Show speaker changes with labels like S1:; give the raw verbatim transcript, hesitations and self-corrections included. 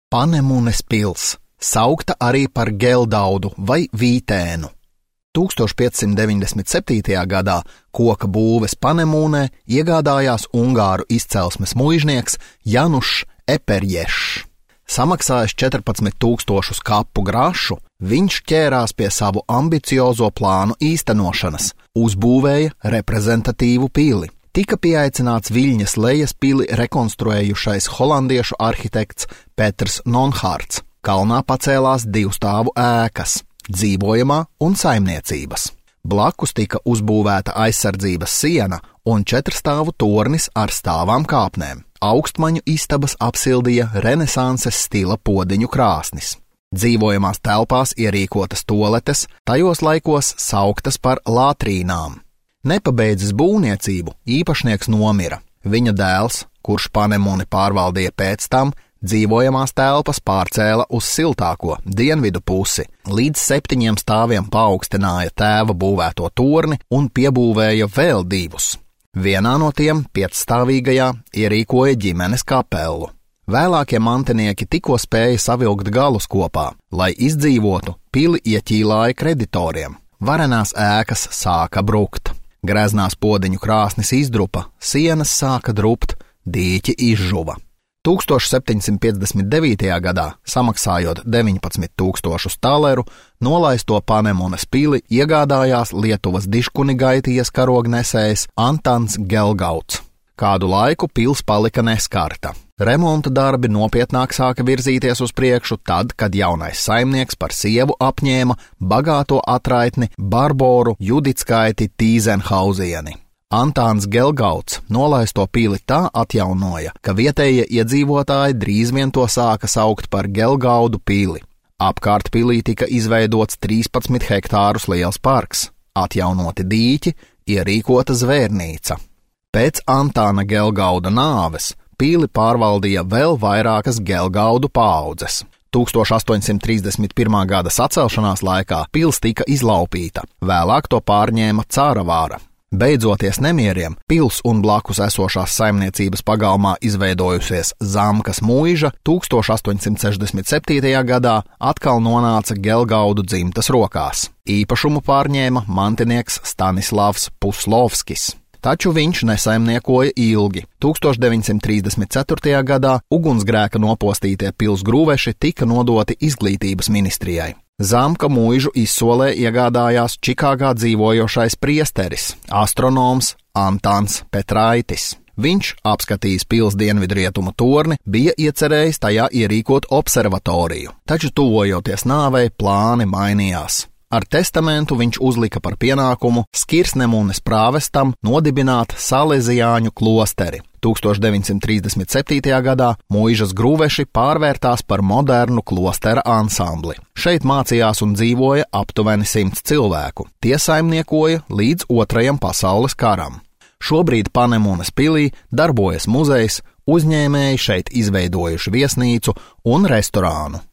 S1: Panemunes pils, saukta arī par Geldaudu vai Vītēnu. tūkstoš piecsimt deviņdesmit septītajā gadā koka būves Panemunē iegādājās ungāru izcelsmes muižnieks Janušs Eperješs. Samaksājis četrpadsmit tūkstošus kapu grašu, viņš ķērās pie savu ambiciozo plānu īstenošanas, uzbūvēja reprezentatīvu pili. Tika pieaicināts Viļņas lejas pili rekonstruējušais holandiešu arhitekts Peters Nonhārts. Kalnā pacēlās divstāvu ēkas – dzīvojamā un saimniecības. Blakus tika uzbūvēta aizsardzības siena un četrstāvu tornis ar stāvām kāpnēm. Augstmaņu istabas apsildīja renesanses stila podziņu krāsnis. Dzīvojamās telpās ierīkotas toaletes, tajos laikos sauktas par latrīnām. Nepabeidzis būvniecību, īpašnieks nomira. Viņa dēls, kurš Panemuni pārvaldīja pēc tam, dzīvojamās telpas pārcēla uz siltāko dienvidu pusi, līdz septiņiem stāviem paaugstināja tēva būvēto torni un piebūvēja vēl divus. Vienā no tiem, piecstāvīgajā, ierīkoja ģimenes kapelu. Vēlākie mantinieki tikko spēja savilkt galus kopā, lai izdzīvotu, pili ieķīlāja kreditoriem. Varenās ēkas sāka brukt. Greznās podziņu krāsnis izdrupa, sienas sāka drupt, dīķi izžuva. tūkstoš septiņsimt piecdesmit devītajā gadā, samaksājot deviņpadsmit tūkstošus taleru, nolaisto Panemunes pili iegādājās Lietuvas diškunigaitijas karognesējs Antans Gelgauds. Kādu laiku pils palika neskarta. Remonta darbi nopietnāk sāka virzīties uz priekšu tad, kad jaunais saimnieks par sievu apņēma bagāto atraitni Barboru Judickaiti Tīzenhauzieni. Antāns Gelgauds nolaisto pili tā atjaunoja, ka vietējie iedzīvotāji drīz vien to sāka saukt par Gelgaudu pili. Apkārt pilī tika izveidots trīspadsmit hektārus liels parks, atjaunoti dīķi, ierīkota zvērnīca. Pēc Antāna Gelgauda nāves pili pārvaldīja vēl vairākas Gelgaudu paaudzes. tūkstoš astoņsimt trīsdesmit pirmā gada sacelšanās laikā pils tika izlaupīta, vēlāk to pārņēma Cāravāra. Beidzoties nemieriem, pils un blakus esošās saimniecības pagalmā izveidojusies Zamkas muiža tūkstoš astoņsimt sešdesmit septītajā gadā atkal nonāca Gelgaudu dzimtas rokās. Īpašumu pārņēma mantinieks Stanislavs Puslovskis. Taču viņš nesaimniekoja ilgi. tūkstoš deviņsimt trīsdesmit ceturtajā gadā ugunsgrēka nopostītie pils grūveši tika nodoti izglītības ministrijai. Zamka muižu izsolē iegādājās Čikāgā dzīvojošais priesteris, astronoms Antāns Petraitis. Viņš, apskatījis pils dienvidrietumu torni, bija iecerējis tajā ierīkot observatoriju, taču tuvojoties nāvei plāni mainījās. Ar testamentu viņš uzlika par pienākumu Skirsnemunes prāvestam nodibināt Salezijāņu klosteri. tūkstoš deviņsimt trīsdesmit septītajā gadā muižas grūveši pārvērtās par modernu klostera ansambli. Šeit mācījās un dzīvoja aptuveni simts cilvēku. Tie saimniekoja līdz otrajam pasaules karam. Šobrīd Panemunes pilī darbojas muzejs, uzņēmēji šeit izveidojuši viesnīcu un restorānu.